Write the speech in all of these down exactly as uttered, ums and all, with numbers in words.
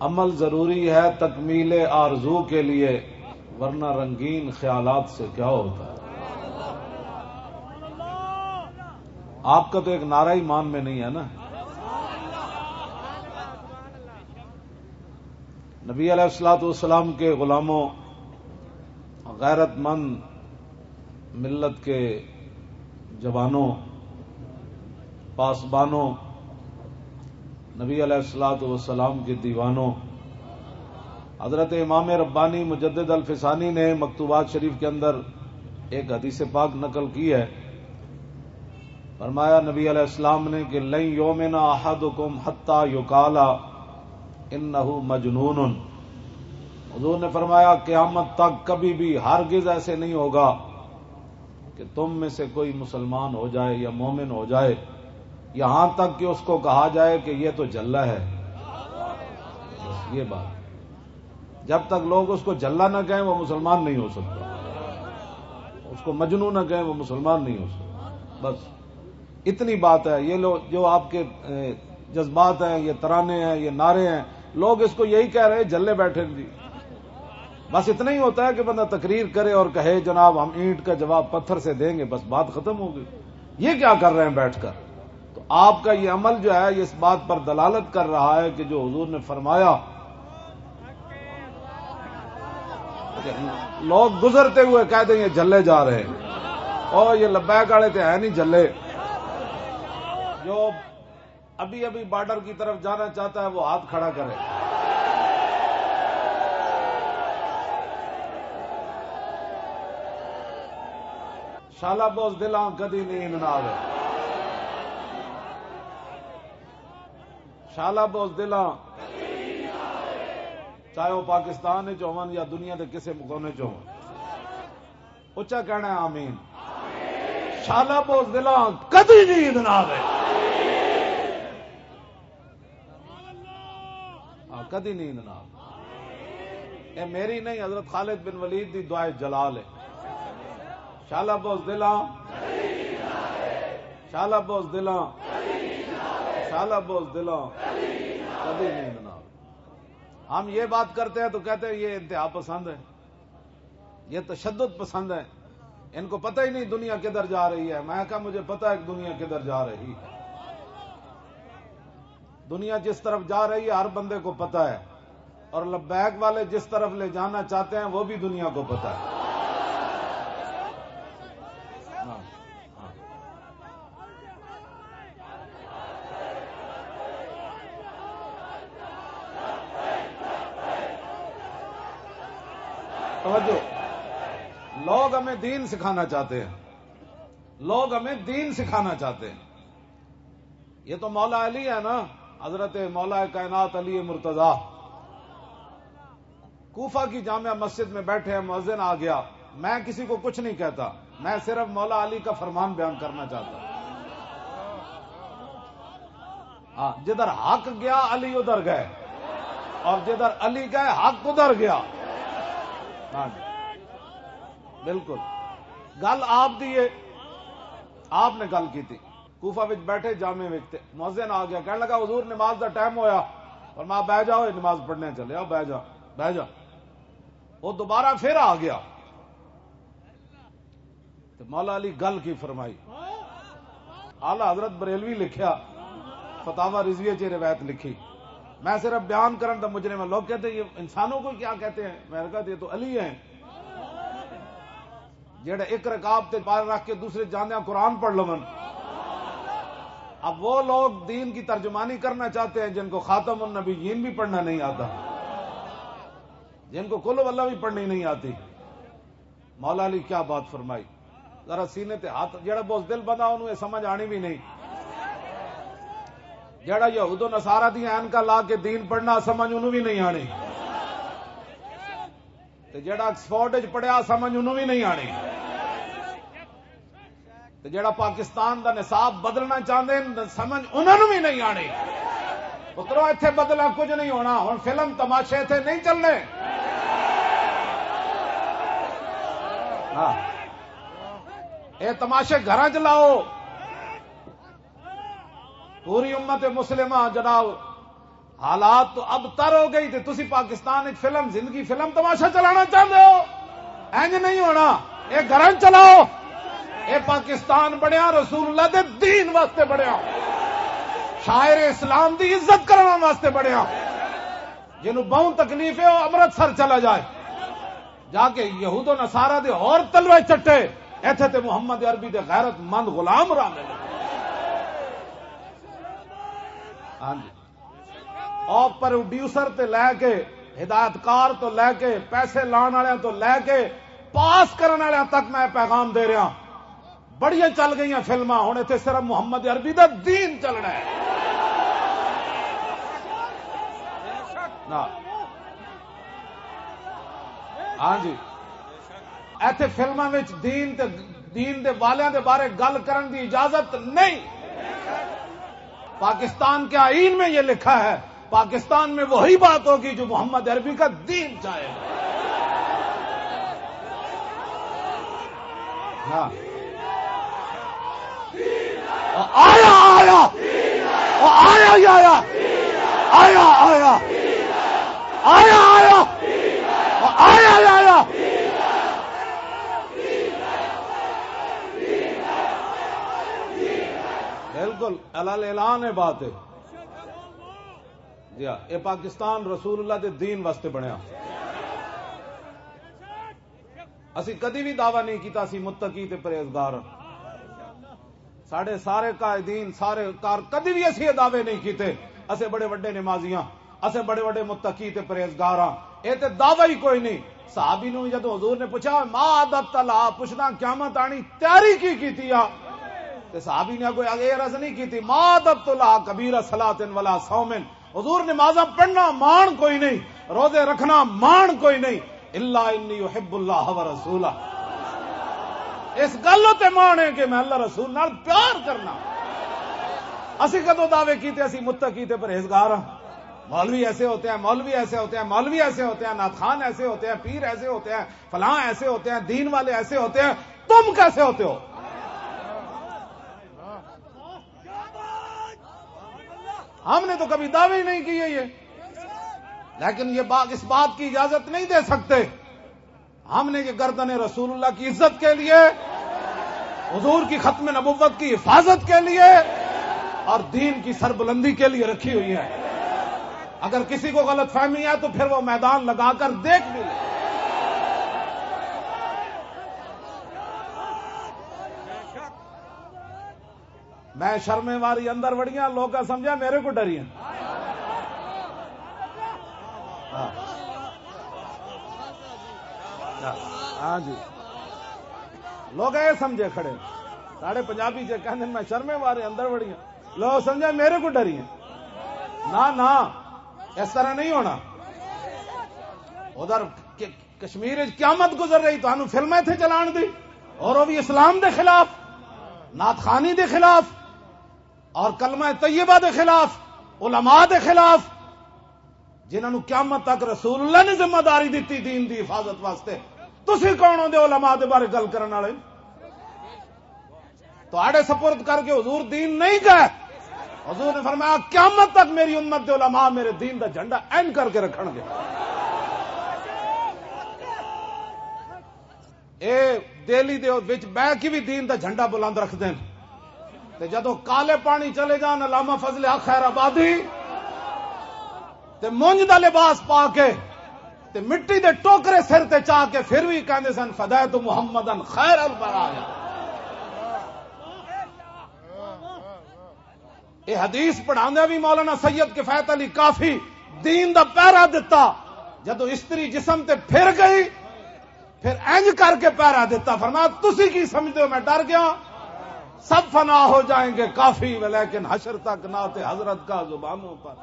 عمل ضروری ہے تکمیل آرزو کے لیے، ورنہ رنگین خیالات سے کیا ہوتا ہے؟ آپ کا تو ایک نعرہ ایمان میں نہیں ہے نا۔ نبی علیہ الصلوۃ والسلام کے غلاموں، غیرت مند ملت کے جوانوں، پاسبانوں، نبی علیہ الصلوۃ والسلام کے دیوانوں، حضرت امام ربانی مجدد الفسانی نے مکتوبات شریف کے اندر ایک حدیث پاک نقل کی ہے۔ فرمایا نبی علیہ السلام نے کہ "لن یؤمن احدکم حتی یقال انہ مجنون۔" حضور نے فرمایا، قیامت تک کبھی بھی ہرگز ایسے نہیں ہوگا کہ تم میں سے کوئی مسلمان ہو جائے یا مومن ہو جائے، یہاں تک کہ اس کو کہا جائے کہ یہ تو جھلا ہے۔ بس یہ بات۔ جب تک لوگ اس کو جھلا نہ کہیں، وہ مسلمان نہیں ہو سکتا۔ اس کو مجنون نہ کہیں، وہ مسلمان نہیں ہو سکتا۔ بس اتنی بات ہے۔ یہ لوگ جو آپ کے، اے، جذبات ہیں، یہ ترانے ہیں، یہ نعرے ہیں، لوگ اس کو یہی کہہ رہے ہیں، جھلے بیٹھے ہیں جی۔ بس اتنا ہی ہوتا ہے کہ بندہ تقریر کرے اور کہے، "جناب، ہم اینٹ کا جواب پتھر سے دیں گے"، بس بات ختم ہو گئی۔ یہ کیا کر رہے ہیں بیٹھ کر؟ تو آپ کا یہ عمل جو ہے، یہ اس بات پر دلالت کر رہا ہے کہ جو حضور نے فرمایا، لوگ گزرتے ہوئے کہہ دیں، "یہ جھلے جا رہے ہیں۔" او، یہ لبیک والے تے ہے نہیں جھلے۔ جو ابھی ابھی بارڈر کی طرف جانا چاہتا ہے، وہ ہاتھ کھڑا کرے۔ شالا بوز دلاں کدی نیند نہ آوے۔ شالا بوز دلاں، چاہے وہ پاکستان وچ ہون یا دنیا دے کسے کونے چ ہون، اچا کہنا ہے، "آمین۔" شالا بوز دلاں کدی نیند نہ آوے۔ ہاں، کدی نیند نہ آوے۔ اے میری نہیں، حضرت خالد بن ولید دی دعائے جلال ہے۔ شالا بوز دلاں، شالا بوز دلاں، شالا بوز دلاں، کدی نیند نہ آوے۔ ہم یہ بات کرتے ہیں تو کہتے ہیں، "یہ انتہا پسند ہے۔" یہ تشدد پسند ہیں، ان کو پتہ ہی نہیں دنیا کدھر جا رہی ہے۔ میں کہا، "مجھے پتہ ہے کہ دنیا کدھر جا رہی ہے، دنیا جس طرف جا رہی ہے، ہر بندے کو پتہ ہے، اور لبیک والے جس طرف لے جانا چاہتے ہیں، وہ بھی دنیا کو پتہ ہے۔" ہاں، ہاں۔ توجہ، لوگ ہمیں دین سکھانا چاہتے ہیں، لوگ ہمیں دین سکھانا چاہتے ہیں۔ یہ تو مولا علی ہے نا، حضرت مولا کائنات علی مرتضی۔ کوفہ کی جامع مسجد میں بیٹھے ہیں، مؤذن آ گیا۔ میں کسی کو کچھ نہیں کہتا، میں صرف مولا علی کا فرمان بیان کرنا چاہتا ہوں۔ ہاں، جدھر حق گیا، علی ادھر گئے، اور جدھر علی گئے، حق ادھر گیا۔ ہاں جی، بالکل۔ گل آپ دی ہے، آپ نے گل کی تھی۔ کوفہ وچ بیٹھے جامع وچ تے مؤذن آ گیا، کہنے لگا، "حضور، نماز دا ٹائم ہویا۔" فرمایا، "بہ جاؤ، یہ نماز پڑھنے چلے آؤ، بہ جا، بہ جا۔" وہ دوبارہ پھر آ گیا۔ تے مولا علی گل کی فرمائی۔ اعلیٰ حضرت بریلوی لکھیا، فتاوی رضویہ چ روایت لکھی۔ میں صرف بیان کرن دا مجرم ہاں۔ لوگ کہتے ہیں، "یہ انسانوں کو کیا کہتے ہیں؟" میں نے کہا، "یہ تو علی ہیں۔" جڑے ایک رکعت تے پار رکھ کے دوسرے جاندیاں قرآن پڑھ لون۔ اب وہ لوگ دین کی ترجمانی کرنا چاہتے ہیں جن کو خاتم النبیین بھی پڑھنا نہیں آتا، جن کو قل ہو اللہ بھی پڑھنی نہیں آتی۔ مولا علی کیا بات فرمائی، ذرا سینے تے ہاتھ، جڑا بزدل بندہ انہوں یہ سمجھ آنی بھی نہیں، جڑا یہود و نصارہ دی عینکاں لا کے دین پڑھنا سمجھ انہوں بھی نہیں آنی۔ تے جڑا آکسفورڈ وچ پڑھیا، سمجھ انہوں بھی نہیں آنی۔ تے جڑا پاکستان دا نصاب بدلنا چاہندے نے، سمجھ انہوں بھی نہیں آنی۔ پترو، ایتھے بدلنا کچھ نہیں ہونا۔ ہن فلم تماشے ایتھے نہیں چلنے۔ ہاں۔ اے تماشے گھراں چ لاؤ۔ پوری امت مسلمہ جناب حالات تو اب تر ہو گئی تے تسی پاکستان وچ فلم، زندگی فلم تماشا چلانا چاہندے ہو؟ انج نہیں ہونا۔ اے گھراں چلاؤ۔ اے پاکستان بنیا رسول اللہ دے دین واسطے بنیا، شاعر اسلام دی عزت کرن واسطے بنیا۔ جنوں بہوں تکلیف ہے، وہ امرتسر چلا جائے، جا کے یہود و نصارہ دے اور تلوے چٹے۔ ایتھے تے محمد عربی دے غیرت مند غلام رہندے نے۔ ہاں جی۔ اور پروڈیوسر تے لے کے، ہدایت کار تو لے کے، پیسے لان والے تو لے کے، پاس کرن والے تک میں پیغام دے رہا۔ بڑیاں چل گئیاں فلماں، ہن ایتھے صرف محمد عربی دا دین چلنا ہے۔ نہ۔ ہاں جی، ایتھے فلماں وچ دین تے، دین دے والیاں دے بارے گل کرن دی اجازت نہیں۔ پاکستان کے آئین میں یہ لکھا ہے، پاکستان میں وہی بات ہوگی جو محمد عربی کا دین چاہے۔ ہاں۔ آیا، آیا۔ آیا، آیا۔ آیا، آیا۔ آیا، آیا۔ آیا، آیا۔ بالکل اعلان ہے، بات ہے۔ جی ہاں، اے پاکستان رسول اللہ دے دین واسطے بنیا۔ اسی کدی بھی دعویٰ نہیں کیتا اسی متقی تے پرہیزگار ہاں۔ ساڈے سارے قائدین، سارے کار، کدی بھی اسی یہ دعوے نہیں کیتے اسے بڑے وڈے نمازیاں، اسے بڑے وڈے متقی تے پرہیزگار ہاں۔ اے تے دعویٰ ہی کوئی نہیں۔ صحابی نو جدوں حضور نے پوچھا، "ما عددت لها؟" پوچھنا قیامت آنی تیاری کی کیتی آ؟ تے صحابی نے کوئی اگے عرض نہیں کیتی، "ما عددت لها کبیر صلاۃ ولا صوم۔" حضور، نمازاں پڑھنا مان کوئی نہیں، روزے رکھنا مان کوئی نہیں، الا انی احب اللہ و رسولہ۔ اس گل تے مان ہے کہ میں اللہ رسول نال پیار کرنا۔ اسی کدوں دعوے کیتے اسی متقی تے پرہیزگار ہاں؟ مولوی ایسے ہوتے ہیں، مولوی ایسے ہوتے ہیں، مولوی ایسے ہوتے ہیں، نعت خوان ایسے ہوتے ہیں، پیر ایسے ہوتے ہیں، فلاں ایسے ہوتے ہیں، دین والے ایسے ہوتے ہیں۔ تم کیسے ہوتے ہو؟ ہم نے تو کبھی دعوے ہی نہیں کیے یہ، لیکن یہ بات، اس بات کی اجازت نہیں دے سکتے۔ ہم نے یہ گردن رسول اللہ کی عزت کے لیے، حضور کی ختم نبوت کی حفاظت کے لیے اور دین کی سربلندی کے لیے رکھی ہوئی ہے۔ اگر کسی کو غلط فہمی ہے تو پھر وہ میدان لگا کر دیکھ بھی لے۔ میں شرمے واری اندر وڑیاں، لوگ سمجھا میرے کو ڈری ہیں۔ ہاں۔ ہاں جی، لوگ اے سمجھے کھڑے، ساڈے پنجابی جے کہندے، "میں شرمے واری اندر وڑیاں"، لوگ سمجھا میرے کو ڈری ہیں۔ نہ، نہ، اس طرح نہیں ہونا۔ ادھر کہ کشمیر وچ قیامت گزر رہی، تانوں فلمیں تھے چلان دی، اور وہ بھی اسلام دے خلاف، نعت خوانی دے خلاف، اور کلمہ طیبہ دے خلاف، علماء دے خلاف، جنہاں نوں قیامت تک رسول اللہ نے ذمہ داری دتی دین دی حفاظت واسطے۔ تسی کون ہوندے علماء دے بارے گل کرن والے؟ تہاڈے سپرد کر کے حضور دین نہیں گئے۔ حضور نے فرمایا، "قیامت تک میری امت دے علماء میرے دین دا جھنڈا این کر کے رکھن گے۔" اے دہلی دے وچ بہ کے بھی دین دا جھنڈا بلند رکھدے نے۔ تے جدوں کالے پانی چلے جان، علامہ فضل حق خیر آبادی تے مونج دا لباس پا کے تے مٹی دے ٹوکرے سر تے چا کے پھر بھی کہندے سن، "فدیت محمدن خیر البرایا۔" یہ حدیث پڑھاندے بھی مولانا سید کفایت علی کافی دین دا پہرا دتا۔ جدوں استری جسم تے پھر گئی، پھر انج کر کے پہرا دتا، فرمایا، "تسی کی سمجھتے ہو میں ڈر گیا؟ سب فنا ہو جائیں گے کافی، ولیکن حشر تک نعت حضرت کا زبانوں پر۔"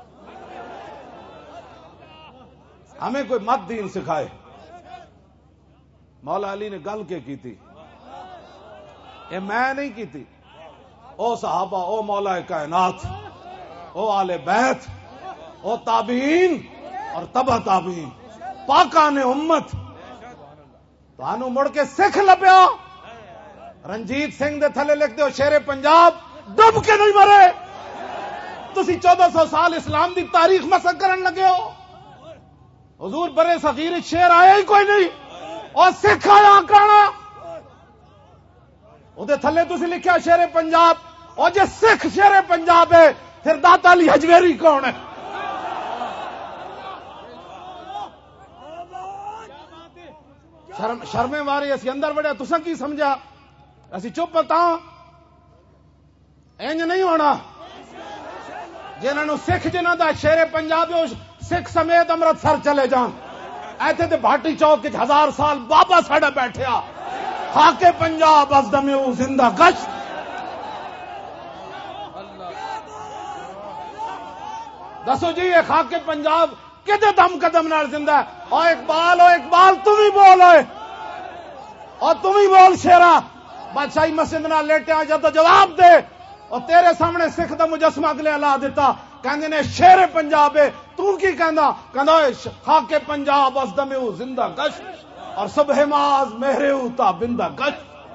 ہمیں کوئی مت دین سکھائے۔ مولا علی نے گل کے کیتی؟ اے میں نہیں کیتی۔ او صحابہ، او مولا کائنات، او آل بیت، او تابعین اور تبع تابعین، پاکان امت، تانوں مڑ کے سکھ لبیا؟ رنجیت سنگھ دے تھلے لکھ دیو، شیر پنجاب ڈب کے نہیں مرے۔ تسی چودہ سو سال اسلام دی تاریخ مسخ کرن لگے ہو۔ حضور، برے صغیر شیر آیا ہی کوئی نہیں، اور سکھ آیا کرانا۔ اودے تھلے تسی لکھیا شیر پنجاب۔ اور جے سکھ شیر پنجاب ہے، پھر داتا علی حجویری کون ہے؟ شرم، شرمے واری اسی اندر وڑیا، تساں کی سمجھا؟ اسی چپ تاں۔ انج نہیں ہونا۔ جنہاں نوں سکھ، جنہاں دا شیر پنجاب ہے، او سکھ سمیت امرتسر چلے جان۔ ایتھے تے بھاٹی چوک وچ ہزار سال بابا ساڈا بیٹھیا۔ خاک پنجاب از دم او زندہ گشت۔ دسو جی، یہ خاک پنجاب کدے دم قدم نال زندہ ہے؟ او اقبال، او اقبال، تم ہی بول اوئے۔ او تم ہی بول شیرا۔ بادشاہی مسجد نال لیٹیا جد جواب دے۔ او تیرے سامنے سکھ دا مجسمہ اگلے لا دیتا۔ کہندے نے شیر پنجاب ہے۔ تو کی کہندا؟ کہندا، "اے ش-، خاک پنجاب از دم او زندہ گشت، اور صبح ما از مہر او تا بندہ گشت۔"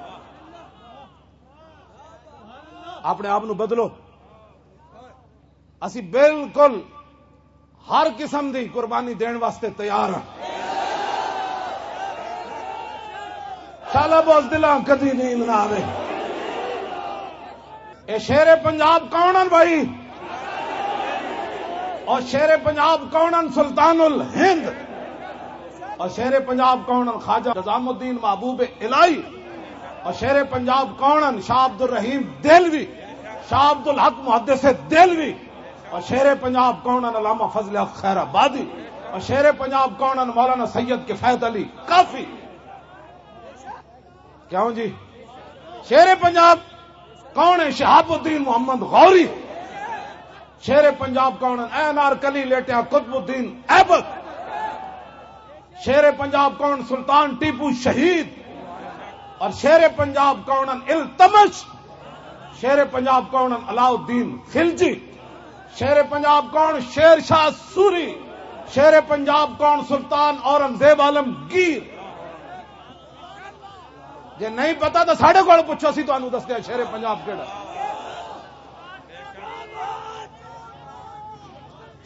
اپنے آپ نو بدلو۔ اسی بالکل ہر قسم دی قربانی دین واسطے تیار ہاں۔ شالا بوز دلاں کدی نیند نہ آوے۔ اے شیر پنجاب کون ہن بھائی؟ اور شیر پنجاب کون ہن؟ سلطان الہند۔ اور شیر پنجاب کون ہن؟ خواجہ نظام الدین محبوب الہی۔ اور شیر پنجاب کون ہن؟ شاہ عبد الرحیم دہلوی، شاہ عبد الحق محدث دہلوی۔ اور شیر پنجاب کون ہن؟ علامہ فضل حق خیر آبادی۔ اور شیر پنجاب کون ہن؟ مولانا سید کفایت علی کافی۔ کیوں جی؟ شیر پنجاب کون ہے؟ شہاب الدین محمد غوری۔ شیر پنجاب کون ہے؟ این آر کلی لیٹیا قطب الدین ایبک۔ شیر پنجاب کون؟ سلطان ٹیپو شہید۔ اور شیر پنجاب کون؟ التمش۔ شیر پنجاب کون؟ علاؤ الدین خلجی۔ شیر پنجاب کون؟ شیر شاہ سوری۔ شیر پنجاب کون؟ سلطان اورنگزیب عالمگیر۔ جے نہیں پتا تو ساڈے کول پوچھو، اسی تانوں دسدے ہاں شیر پنجاب کیڑا۔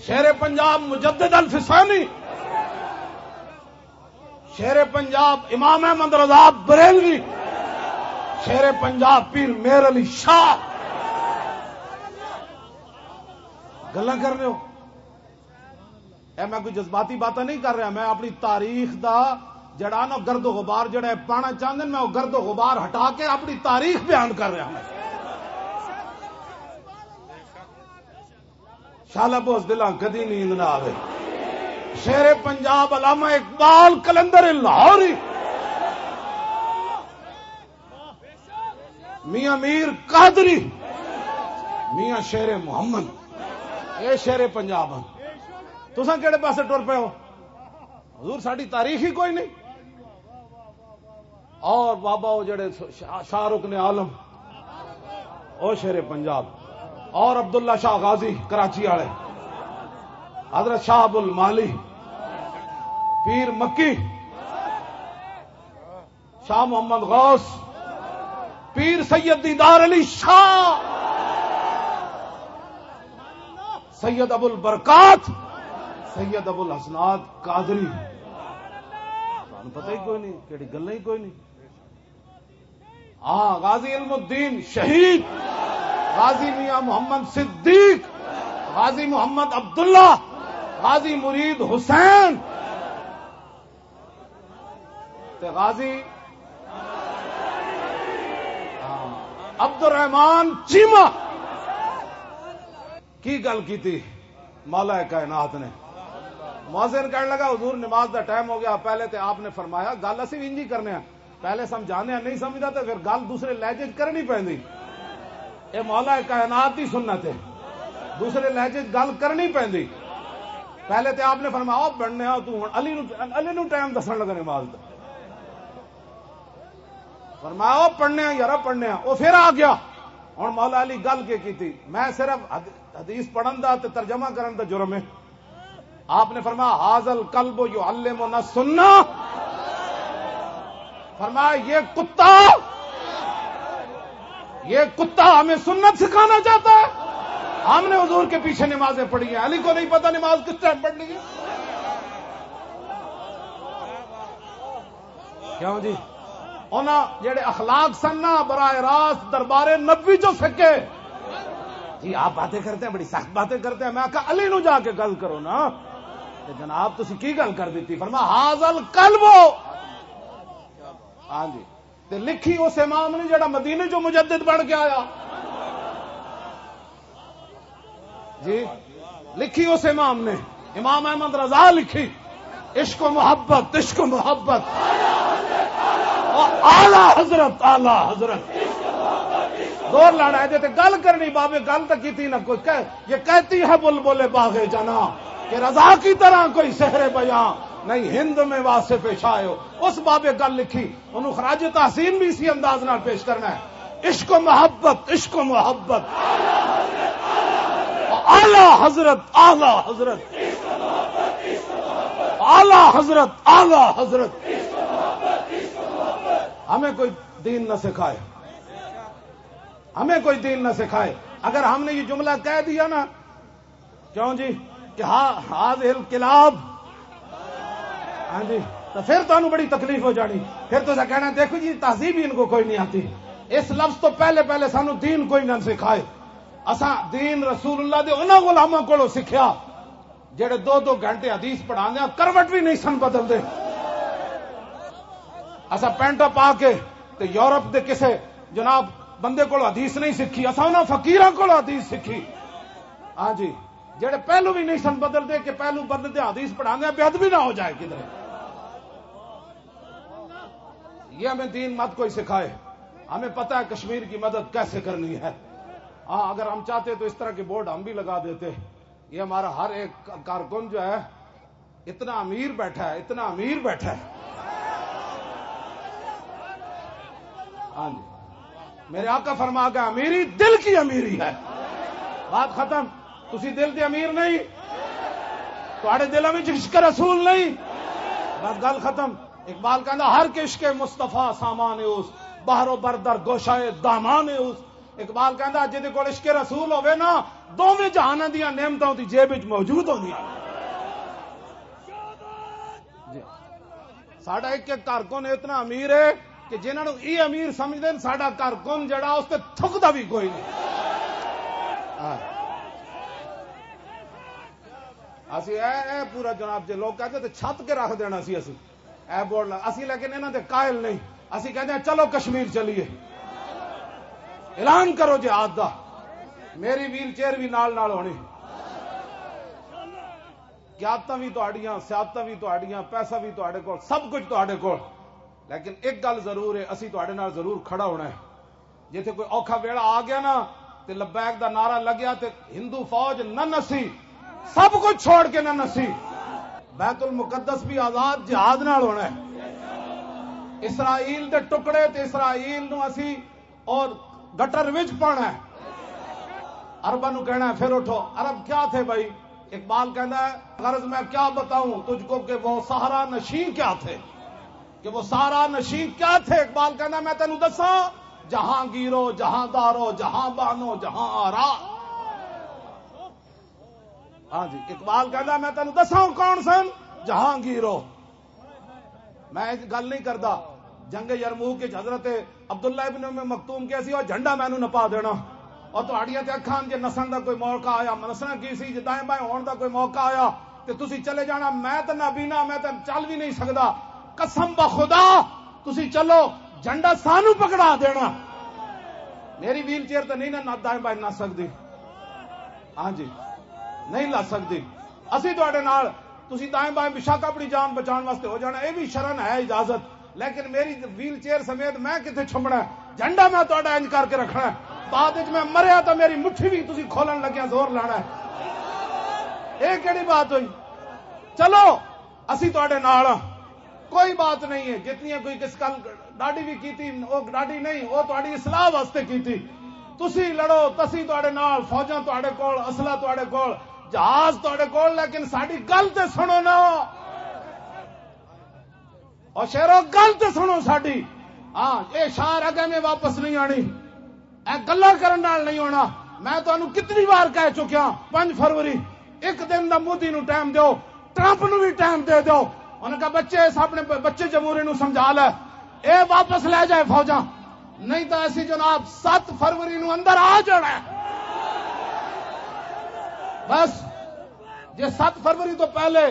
شیر پنجاب مجدد الفسانی، شیر پنجاب امام احمد رضا بریلوی، شیر پنجاب پیر میر علی شاہ۔ گلاں کر رہے ہو؟ اے میں کوئی جذباتی باتاں نہیں کر رہا، میں اپنی تاریخ دا جڑا نا گرد و غبار جڑا اے پانا چاہندے نے، میں او گرد و غبار ہٹا کے اپنی تاریخ بیان کر رہا ہوں۔ شالا بوز دلاں کدی نیند نہ آوے۔ شیر پنجاب علامہ اقبال کلندر لاہوری۔ میاں میر قادری، میاں شیر محمد، اے شیر پنجاب ہن۔ تساں کہڑے پاسے ٹر پئے ہو؟ حضور، ساڈی تاریخ ہی کوئی نہیں۔ اور بابا، وہ جڑے شاہ، شاہ رکن عالم، او شیر پنجاب، اور عبداللہ شاہ غازی کراچی والے، حضرت شاہ ابو المالی، پیر مکی، شاہ محمد غوث، پیر سید دیدار علی شاہ، سید ابو البرکات، سید ابو الحسنات قادری۔ تانوں پتہ ہی کوئی نہیں، کہڑی گلاں ہی کوئی نہیں۔ ہاں، غازی علم الدین شہید، غازی میاں محمد صدیق، غازی محمد عبداللہ، غازی مرید حسین، تے غازی، ہاں، عبد الرحمان چیمہ۔ کی گل کیتی مولا کائنات نے؟ مؤذن کہنے لگا، "حضور، نماز دا ٹائم ہو گیا۔" پہلے تے آپ نے فرمایا، گل اسی بھی انجی کرنے ہیں، پہلے سمجھانے ہیں، نہیں سمجھدا تے پھر گل دوسرے لہجے چ کرنی پیندی۔ اے مولا کائنات دی سنت ہے، دوسرے لہجے چ گل کرنی پیندی۔ پہلے تے آپ نے فرمایا، "او بننے آ، تو ہن علی نو، علی نو ٹائم دسن لگا نماز دا۔" فرمایا، "او پڑھنے آ یارا، پڑھنے آ۔" او پھر آ گیا۔ ہن مولا علی گل کے کیتی؟ میں صرف حد-، حدیث پڑھن دا تے ترجمہ کرن دا جرم ہے۔ آپ نے فرمایا، "ھذا الکلب یعلمنا السنہ۔" فرمایا، یہ کتا، یہ کتا ہمیں سنت سکھانا چاہتا ہے۔ ہم نے حضور کے پیچھے نمازیں پڑھی ہیں، علی کو نہیں پتا نماز کس ٹائم پڑھنی ہے؟ کیوں جی؟ انہاں جڑے اخلاق سن نا، براہ راست دربار نبوی جو سکے۔ جی، آپ باتیں کرتے ہیں، بڑی سخت باتیں کرتے ہیں۔ میں کہا، علی نو جا کے گل کرو نا۔ تے جناب، تسی کی گل کر دیتی؟ فرما، "ھذا القلب۔" ہاں جی۔ تے لکھی اس امام نے جڑا مدینے چوں مجدد بن کے آیا۔ جی، لکھی اس امام نے، امام احمد رضا لکھی، "عشق و محبت، عشق و محبت۔" اعلیٰ حضرت، اعلیٰ حضرت۔ زور لانا ہے جے تے گل کرنی، بابے، گل تک کی تھی نہ کوئی کہہ، یہ کہتی ہے بلبل باغ جنا کہ رضا کی طرح کوئی سحر بیاں نہیں، ہند میں واصف شاہ ہو۔ اس بابے گل لکھی، انہوں خراج تحسین بھی اسی انداز نال پیش کرنا ہے۔ عشق و محبت، عشق و محبت۔ اعلیٰ حضرت، اعلیٰ حضرت۔ اعلیٰ حضرت، اعلیٰ حضرت۔ ہمیں کوئی دین نہ سکھائے، ہمیں کوئی دین نہ سکھائے۔ اگر ہم نے یہ جملہ کہہ دیا نا، کیوں جی؟ کہ ہا، ھذہ الکلاب۔ ہاں جی، تو پھر تانوں بڑی تکلیف ہو جانی۔ پھر تو کہنا، "دیکھو جی، تہذیب ہی ان کو کوئی نہیں آتی۔" اس لفظ تو پہلے، پہلے سانوں دین کوئی نہ سکھائے۔ اساں دین رسول اللہ دے انہاں غلاماں کولوں سکھیا، جڑے دو دو گھنٹے حدیث پڑھاندے آ، کروٹ بھی نہیں سن بدلدے۔ اساں پینٹا پا کے تے یورپ دے کسے جناب بندے کولوں حدیث نہیں سکھی، اساں انہاں فقیراں کولوں حدیث سکھی۔ ہاں جی، جڑے پہلو بھی نہیں سن بدلدے کہ پہلو بدلدے حدیث پڑھاندے آ، بے ادبی نہ ہو جائے کدھر۔ یہ ہمیں دین مت کوئی سکھائے، ہمیں پتہ ہے کشمیر کی مدد کیسے کرنی ہے۔ ہاں، اگر ہم چاہتے تو اس طرح کے بورڈ ہم بھی لگا دیتے۔ یہ ہمارا ہر ایک کارکن جو ہے، اتنا امیر بیٹھا ہے، اتنا امیر بیٹھا ہے۔ ہاں جی، میرے آقا فرما گیا، "امیری دل کی امیری ہے۔" بات ختم۔ تسی دل دے امیر نہیں، تہاڈے دلاں وچ عشق رسول نہیں، بس گل ختم۔ اقبال کہندا، "ہر کہ عشق مصطفیٰ سامان اوست، بحر و بر در گوشہ دامان اوست۔" اقبال کہندا، "جدے کول عشق رسول ہوے نا، دوویں جہاناں دیاں نعمتاں دی جیب وچ موجود ہوندیاں۔" جی۔ ساڈا ایک ایک کارکن اتنا امیر ہے کہ جنہاں نوں یہ امیر سمجھدے نے، ساڈا کارکن جڑا، اس تے تھکدا بھی کوئی نہیں۔ ہاں۔ اسی اے، اے پورا جناب جے لوگ کہتے تے چھت کے رکھ دینا سی اسی۔ اے بورڈ لا، اسی لیکن انہاں دے قائل نہیں۔ اسی کہتے ہیں، "چلو کشمیر چلیے، اعلان کرو جہاد دا۔" میری ویل چیئر بھی نال نال ہونی۔ قیادتاں وی تہاڈیاں، سیادتاں وی تہاڈیاں، پیسہ وی تہاڈے کول، سب کچھ تہاڈے کول۔ لیکن ایک گل ضرور ہے، اسی تہاڈے نال ضرور کھڑا ہونا ہے۔ جتھے کوئی اوکھا ویلا آ گیا نا، تے لبیک دا نعرہ لگیا تے ہندو فوج نہ نسی، سب کچھ چھوڑ کے نہ نسی۔ بیت المقدس بھی آزاد جہاد نال ہونا ہے۔ اسرائیل دے ٹکڑے تے اسرائیل نو اسی اور گٹر وچ پانا ہے۔ عرباں نو کہنا ہے، "پھر اٹھو۔" عرب کیا تھے بھائی؟ اقبال کہندا ہے، "غرض میں کیا بتاؤں تجھ کو کہ وہ صحرا نشین کیا تھے، کہ وہ صحرا نشین کیا تھے؟" اقبال کہندا ہے، "میں تینوں دساں، جہاں گیرو، جہاں دارو، جہاں بانو، جہاں آرا۔" ہاں جی، اقبال کہندا، "میں تینوں دساں کون سن؟ جہاں گیرو۔" میں ایک گل نہیں کردا۔ جنگ یرموک وچ حضرت عبداللہ ابن ام مکتوم کہیا سی، "او جھنڈا مینوں نپا دینا۔" اور تہاڈیاں تے اکھاں جے نسن دا کوئی موقع آیا، نسنا کی سی، جے دائیں بائیں ہون دا کوئی موقع آیا تے تسی چلے جانا، میں تے نابینا، میں تے چل بھی نہیں سکدا۔ قسم بخدا، تسی چلو، جھنڈا سانو پکڑا دینا۔ میری ویل چیئر تے نہیں نہ دائیں بائیں نس سکدی۔ ہاں جی، نہیں لگ سکدی۔ اسی تہاڈے نال، تسی دائیں بائیں بشک اپنی جان بچان واسطے ہو جانا، اے بھی شرن ہے اجازت، لیکن میری ویل چیئر سمیت میں کتھے چھمنا ہے؟ جھنڈا میں تہاڈا انج کر کے رکھنا ہے۔ بعد وچ میں مریا تاں میری مٹھی بھی تسی کھولن لگیا زور لانا ہے۔ اے کیڑی بات ہوئی؟ چلو، اسی تہاڈے نال ہاں، کوئی بات نہیں ہے۔ جتنی کوئی کس کل ڈاڈی بھی کیتی، او ڈاڈی نہیں، او تہاڈی اصلاح واسطے کیتی۔ تسی لڑو، تسی تہاڈے نال، فوجاں تہاڈے کول، اسلحہ تہاڈے کول، جہاز تہاڈے کول، لیکن ساڈی گل تے سنو نا۔ او شیرو، گل تے سنو ساڈی۔ ہاں، اے شعر اگے میں واپس نہیں آنی۔ اے گلاں کرن نال نہیں ہونا۔ میں تانوں کتنی وار کہہ چکیا، پنج فروری، ایک دن دا مودی نوں ٹائم دیو، ٹرمپ نوں وی ٹائم دے دیو۔ انہاں کہا، بچے، اس اپنے ب-، بچے جمہوری نوں سمجھا لے، اے واپس لے جائے فوجاں، نہیں تاں اسی جناب ست فروری نوں اندر آ جانا ہے۔ بس، جے ست فروری تو پہلے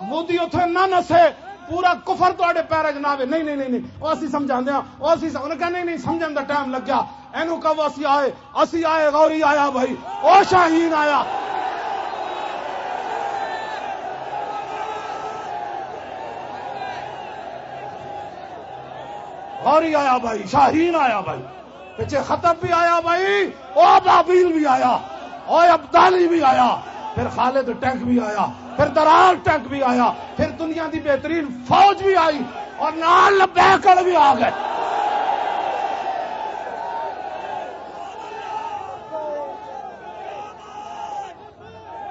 مودی اتھے نہ نسے، پورا کفر تواڈے پیراں 'چ نہ آوے۔ نہیں، نہیں، نہیں، نہیں، او اسی سمجھاندے ہاں، او اسی س-، انہاں کہا، نہیں، نہیں، سمجھن دا ٹائم لگیا، اینوں کہو اسی آئے، اسی آئے، غوری آیا بھائی، او شاہین آیا۔ غوری آیا بھائی، شاہین آیا بھائی، پچھے خطب بھی آیا بھائی، او بابیل بھی آیا، او ابدالی بھی آیا، پھر خالد ٹینک بھی آیا، پھر درار ٹینک بھی آیا، پھر دنیا دی بہترین فوج بھی آئی، اور نال لبیک والے بھی آ گئے۔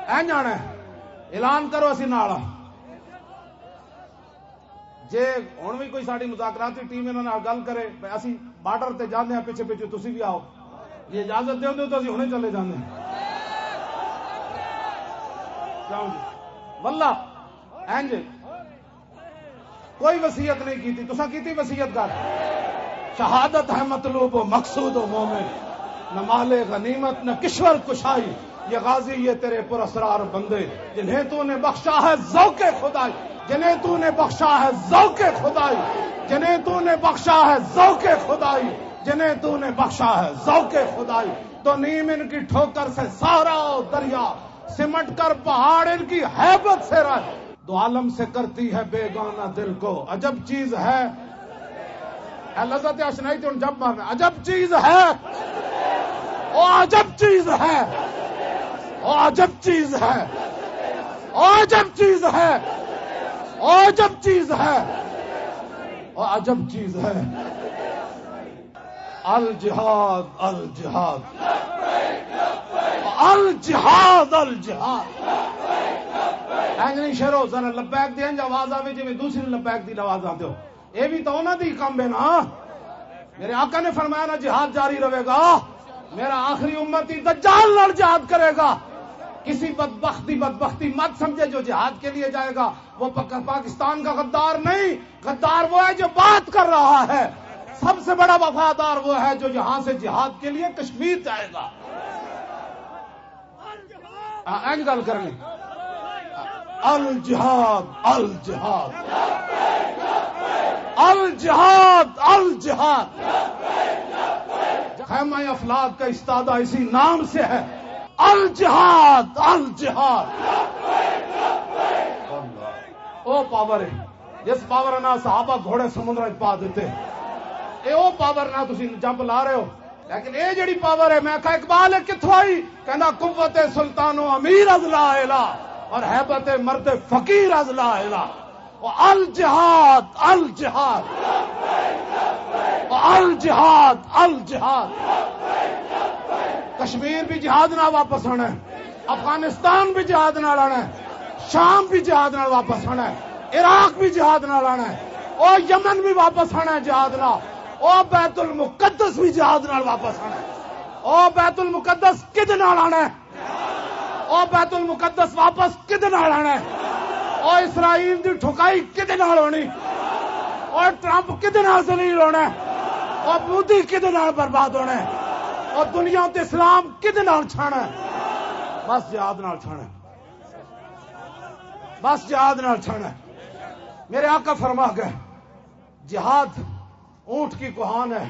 اے جانا ہے، اعلان کرو، اسی نال ہاں۔ جے ہن وی کوئی ساڈی مذاکراتی ٹیم انہاں نال گل کرے، بھئی اسی بارڈر تے جاندے ہاں، پچھے پچھے تسی وی آؤ، جے اجازت دیندے ہو تو اسی ہنے چلے جاندے ہاں۔ جاؤ جی۔ واللہ، اینج کوئی وصیت نہیں کیتی، تساں کیتی وصیت؟ کر، شہادت ہے مطلوب و مقصود و مومن، نہ مال غنیمت نہ کشور کشائی، یہ غازی، یہ تیرے پراسرار بندے، جنہیں تو نے بخشا ہے ذوق خدائی، جنہیں تو نے بخشا ہے ذوق خدائی، جنہیں تو نے بخشا ہے ذوق خدائی، جنہیں تو نے بخشا ہے ذوق خدائی۔ تو نیم ان کی ٹھوکر سے سہرا و دریا، سمٹ کر پہاڑ ان کی ہیبت سے رہ۔ دو عالم سے کرتی ہے بیگانہ دل کو، عجب چیز ہے۔ اے لذت اشنائی تے ہن جب مارنا، عجب چیز ہے، او عجب چیز ہے، او عجب چیز ہے، او عجب چیز ہے، او عجب چیز ہے، او عجب چیز ہے۔ الجہاد، الجہاد، الجہاد، الجہاد۔ اینج نہیں شیرو، ذرا لبیک دی اینج آواز آوے جویں دوسری لبیک دی آواز آندے ہو۔ اے بھی تو انہاں دی کم ہے نا۔ میرے آقا نے فرمایا نا، جہاد جاری رہے گا۔ میرا آخری امتی دجال نال جہاد کرے گا۔ کسی بدبخت دی بدبختی مت سمجھے جو جہاد کے لیے جائے گا، وہ پک-، پاکستان کا غدار نہیں۔ غدار وہ ہے جو بات کر رہا ہے۔ سب سے بڑا وفادار وہ ہے جو یہاں سے جہاد کے لیے کشمیر جائے گا۔ آ، اینج گل کرنی۔ الجہاد، الجہاد، الجہاد، الجہاد۔ خیمہ افلاک کا استادہ اسی نام سے ہے۔ الجہاد، الجہاد۔ او پاور ہے، جس پاور نال صحابہ گھوڑے سمندر وچ پا دیتے۔ اے او پاور نال تسی جمپ لا رہے ہو، لیکن اے جڑی پاور ہے، میں کہا، اقبال، اے کتھوں آئی؟ کہندا، قوت سلطان و امیر از لا الہ اور ہیبت مرد فقیر از لا الہ۔ و الجہاد، الجہاد، و الجہاد، الجہاد۔ کشمیر بھی جہاد نال واپس آنا ہے، افغانستان بھی جہاد نال آنا ہے، شام بھی جہاد نال واپس آنا ہے، عراق بھی جہاد نال آنا ہے، او یمن بھی واپس آنا ہے جہاد نال، او بیت المقدس بھی جہاد نال واپس آنا ہے۔ او بیت المقدس کدے نال آنا ہے؟ او بیت المقدس واپس کدے نال آنا ہے؟ او اسرائیل دی ٹھکائی کدے نال ہونی؟ او ٹرمپ کدے نال ذلیل ہونا ہے؟ او مودی کدے نال برباد ہونا ہے؟ او دنیا تے اسلام کدے نال چھانا ہے؟ بس جہاد نال چھانا ہے۔ بس جہاد نال چھانا ہے۔ میرے آقا فرما گئے، جہاد اونٹ کی کوہان ہے،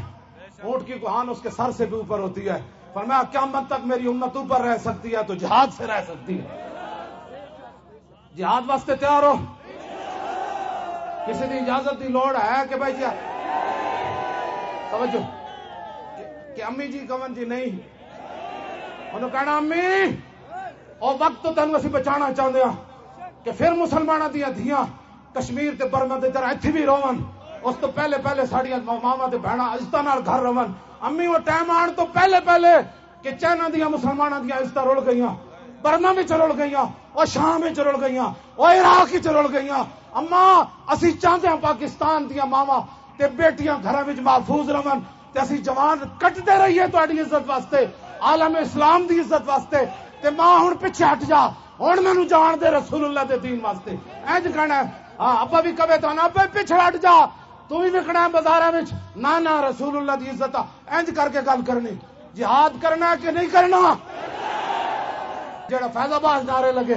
اونٹ کی کوہان اس کے سر سے بھی اوپر ہوتی ہے۔ فرمایا، قیامت تک میری امت اوپر رہ سکتی ہے تو جہاد سے رہ سکتی ہے۔ جہاد واسطے تیار ہو؟ کسی دی اجازت دی لوڑ ہے کہ بھائی جی، توجہ، کہ، کہ امی جی کون جی نہیں؟ انہوں کہنا، امی، او وقت تو تینوں اسی بچانا چاہندے ہاں کہ پھر مسلماناں دیاں دھیاں کشمیر تے برما دے طرح ایتھے بھی رہون۔ اس تو پہلے پہلے ساڈیاں ماواں تے بہناں عزتاں نال گھر رہون۔ امی، وہ ٹائم آن تو پہلے پہلے کہ چائنا دیاں مسلماناں دیاں عزتاں رل گئیاں، برما وچ رل گئیاں، او شام وچ رل گئیاں، او عراق وچ رل گئیاں۔ اما، اسی چاہندے ہاں پاکستان دیاں ماواں تے بیٹیاں گھراں وچ محفوظ رہون تے اسی جوان کٹدے رہیے تہاڈی عزت واسطے۔ عالم اسلام دی عزت واسطے۔ تے ماں، ہن پیچھے ہٹ جا، ہن مینوں جان دے رسول اللہ دے دین واسطے۔ انج کہنا ہے۔ ہاں، ابا بھی کہے تو نا، ابا پیچھے ہٹ جا، تو بھی وکنا ہے بازاراں وچ۔ نہ، نہ، رسول اللہ دی عزت آ، انج کر کے گل کرنی۔ جہاد کرنا ہے کہ نہیں کرنا؟ جڑا فیض آباد نعرے لگے،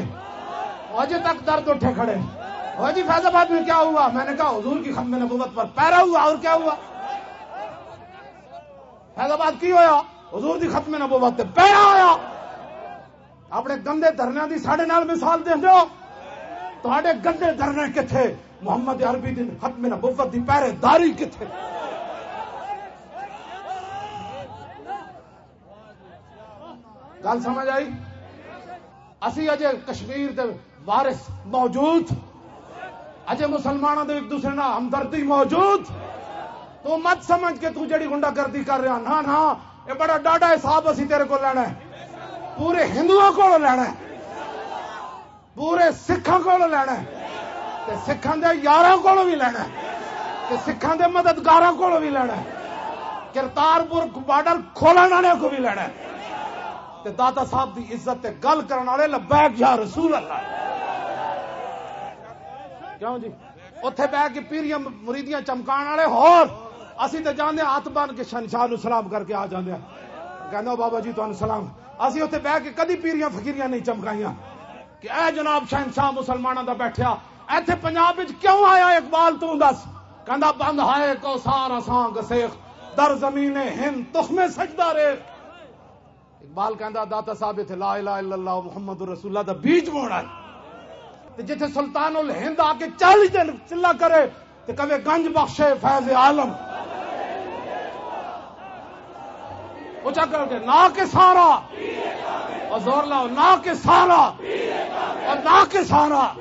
اجے تک درد اٹھے کھڑے۔ او جی، فیض آباد میں کیا ہوا؟ میں نے کہا، حضور کی ختم نبوت پر پیرا ہوا، اور کیا ہوا؟ فیض آباد کی ہویا؟ حضور دی ختم نبوت تے پیرا آیا۔ اپنے گندے دھرنیاں دی ساڈے نال مثال دیندے ہو؟ تہاڈے گندے دھرنے کتھے؟ محمد عربی دی ختم نبوت دی پہرے داری کتھے؟ گل سمجھ آئی؟ اسی اجے کشمیر دے وارث موجود، اجے مسلماناں دے ایک دوسرے نال ہمدردی موجود۔ تو مت سمجھ کہ تو جڑی غنڈہ گردی کر رہا، نہ، نہ، یہ بڑا ڈاڈا حساب اسی تیرے کو لینا ہے، پورے ہندوؤں کو لینا ہے، پورے سکھاں کو لینا ہے، تے سکھاں دے یاراں کو بھی لینا ہے، تے سکھاں دے مددگاراں کو بھی لینا ہے، کرتارپور بارڈر کھولن والے کو بھی لینا ہے، تے داتا صاحب دی عزت تے گل کرن والے لبیک یا رسول اللہ۔ کیوں جی؟ اوتھے بہ کے پیریاں مریدیاں چمکان والے ہور، اسی تے جاندے ہاتھ بن کے شہنشاہ نو سلام کر کے آ جاندے ہیں۔ کہندا، "بابا جی، تانوں سلام۔" اسی اوتھے بہ کے کدی پیریاں فقیریاں نہیں چمکائیاں کہ اے جناب شہنشاہ مسلماناں دا بیٹھیا۔ ایتھے پنجاب وچ کیوں آیا اقبال، توں دس؟ کہندا، "بند ہائے کو سارا سانگ سیخ، در زمین ہند تخم سجدہ ریخ۔" اقبال کہندا، داتا صاحب اتھے لا الہ الا اللہ محمد رسول اللہ دا بیج بونا ہے۔ تے جتھے سلطان الہند آ کے چالیس دن چلا کرے، تے کہے، "گنج بخش فیض عالم۔" اچا کر کے، "نہ کہ سارا۔" اور زور لاؤ، "نہ کہ سارا۔" اور نہ کہ سارا۔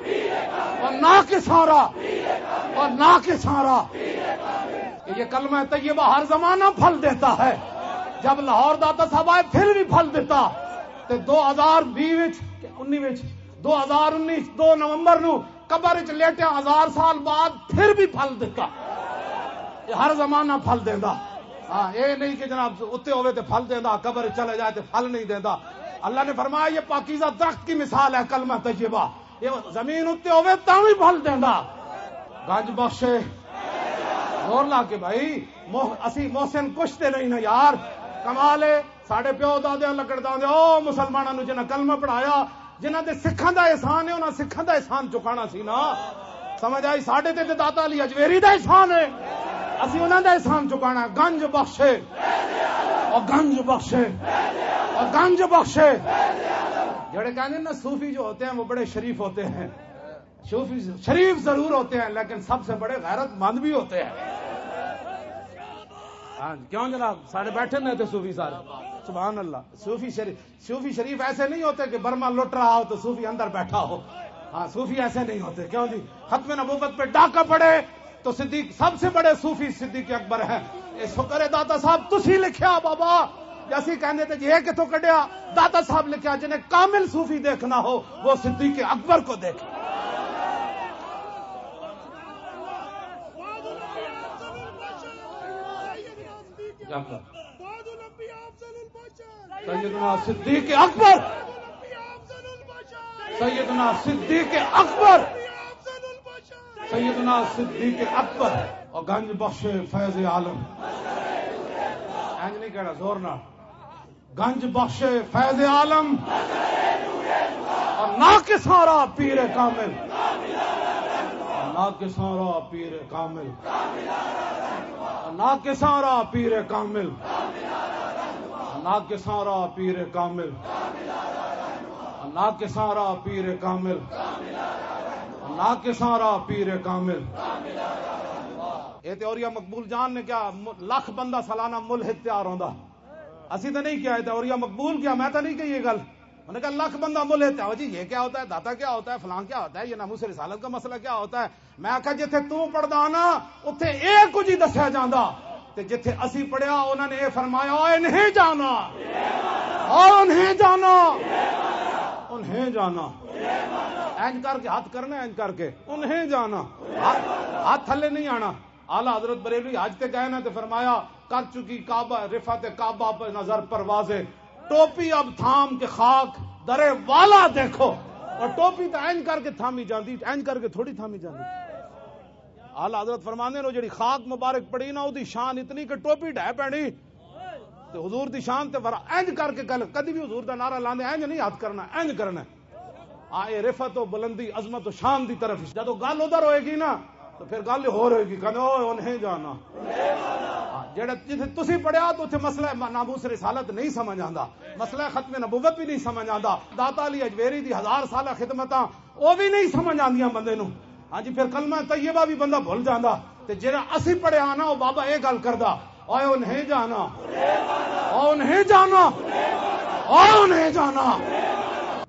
اور نہ کہ سارا۔ اور نہ کہ سارا۔ کہ یہ کلمہ طیبہ ہر زمانہ پھل دیتا ہے۔ جب لاہور داتا صاحب آئے، پھر بھی پھل دیتا۔ تے دو ہزار بیس وچ، انی وچ، دو ہزار انیس، دو نومبر نو قبر وچ لیٹیا، ہزار سال بعد پھر بھی پھل دیتا۔ یہ ہر زمانہ پھل دیندا۔ ہاں، اے نہیں کہ جناب اتے ہوے تے پھل دیندا، قبر وچ چلے جائے تے پھل نہیں دیندا۔ اللہ نے فرمایا، یہ پاکیزہ درخت کی مثال ہے کلمہ طیبہ۔ یہ زمین اتے ہوے تاں وی پھل دیندا۔ گنج بخشے، زور لا کے بھائی، مح-، اسی محسن کچھ تے نہیں نا یار۔ کمال ہے، ساڈے پیو دادیاں لکڑ داندے، او مسلماناں نوں جنہاں کلمہ پڑھایا، جنہاں دے سکھاں دا احسان ہے، انہاں سکھاں دا احسان چکانا سی نا۔ سمجھ آئی؟ ساڈے تے تے داتا علی اجمیری دا احسان ہے، اسی انہاں دا احسان چکانا۔ گنج بخشے، او گنج بخشے، او گنج بخشے۔ جڑے کہنے نا، صوفی جو ہوتے ہیں، وہ بڑے شریف ہوتے ہیں۔ صوفی شریف ضرور ہوتے ہیں، لیکن سب سے بڑے غیرت مند بھی ہوتے ہیں۔ ہاں جی، کیوں جناب؟ سارے بیٹھے نے تے صوفی سارے۔ سبحان اللہ۔ صوفی شریف، صوفی شریف ایسے نہیں ہوتے کہ برما لٹ رہا ہو تو صوفی اندر بیٹھا ہو۔ ہاں، صوفی ایسے نہیں ہوتے۔ کیوں جی؟ ختم نبوت پہ ڈاکہ پڑے تو صدیق، سب سے بڑے صوفی صدیق اکبر ہیں۔ اے شکر ہے داتا صاحب، تسی لکھیا بابا۔ جے اسی کہندے تے جی اے کتھوں کڈیا؟ داتا صاحب لکھیا، جنہیں کامل صوفی دیکھنا ہو، وہ صدیق اکبر کو دیکھے۔ سیدنا صدیق اکبر، سیدنا صدیق اکبر، سیدنا صدیق اکبر اور گنج بخش فیض عالم۔ اینج نہیں کہنا، زور نہ۔ گنج بخش فیض عالم اور ناقصاں را پیر کامل، ناقصاں را پیر کامل، ناقصاں را پیر کامل، ناقصاں را پیر کامل، ناقصاں را پیر کامل، ناقصاں را پیر کامل۔ اے تے اوریا مقبول جان نے کیا، م-، لکھ بندہ سالانہ ملحد تیار ہوندا۔ اسی تے نہیں کیا، اے تے اوریا مقبول کیا، میں تے نہیں کہی یہ گل۔ انہوں نے کہا، "لکھ بندہ ملحد تیار ہو جی، یہ کیا ہوتا ہے، داتا کیا ہوتا ہے، فلاں کیا ہوتا ہے، یہ ناموس رسالت کا مسئلہ کیا ہوتا ہے؟" میں آکھیا، "جتھے توں پڑھدا نا، اتھے اے کچھ ہی دسیا جاندا، تے جتھے اسی پڑھیا، انہاں نے اے فرمایا، 'اوئے نہیں جانا، اوئے نہیں جانا، انہیں جانا.'" اینج کر کے ہاتھ کرنا، اینج کر کے، "انہیں جانا"، ہاتھ، ہاتھ تھلے نہیں آنا۔ اعلیٰ حضرت بریلوی حج تے گئے نا تے فرمایا، "کر چکی کعبہ، رفعت کعبہ پہ نظر پروازیں۔" ٹوپی اب تھام کے خاک درے والا دیکھو۔ اور ٹوپی تو اینج کر کے تھامی جاندی، اینج کر کے تھوڑی تھامی جاندی۔ اعلیٰ حضرت فرماندے نے، جڑی خاک مبارک پڑی نا، اودی شان اتنی کہ ٹوپی ڈھے پینی۔ تے حضور دی شان تے ورا اینج کر کے گل، کدی بھی حضور دا نعرہ لاندے اینج نہیں ہاتھ کرنا، اینج کرنا۔ آ، اے رفعت و بلندی، عظمت و شان دی طرف۔ جدوں گل ادھر ہوئے گی نا، تو پھر گل ہور ہوئے گی، کہندے، "اوئے، انہیں جانا۔" ہاں، جڑا جتھے تسی پڑھیا، تو اتھے مسئلہ م-، ناموس رسالت نہیں سمجھ آندا، مسئلہ ختم نبوت بھی نہیں سمجھ آندا، داتا علی اجمیری دی ہزار سالہ خدمتاں، او بھی نہیں سمجھ آندیاں بندے نوں۔ ہاں جی، پھر کلمہ طیبہ بھی بندہ بھول جاندا۔ تے جڑا اسی پڑھیا نا، او بابا اے گل کردا، "اوئے، انہیں جانا، اوئے، انہیں جانا، اوئے، انہیں جانا،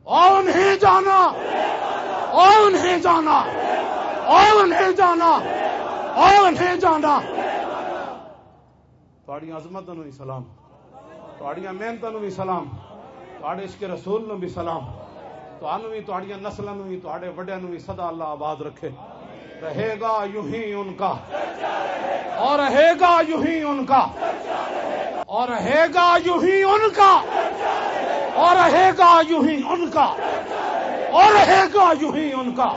اوئے، انہیں جانا، اوئے، انہیں جانا، اوئے، انہیں جانا، اوئے، انہیں جانا۔" تہاڈیاں عظمتاں نوں وی سلام، تہاڈیاں محنتاں نوں وی سلام، تہاڈے عشق رسول نوں وی سلام۔ تہانوں وی، تہاڈیاں نسلاں نوں وی، تہاڈے وڈیاں نوں وی سدا اللہ آباد رکھے۔ رہے گا یوں ہی ان کا، اور رہے گا یوں ہی ان کا، اور رہے گا یوں ہی ان کا، اور رہے گا یوں ہی ان کا، اور رہے گا یوں ہی ان کا۔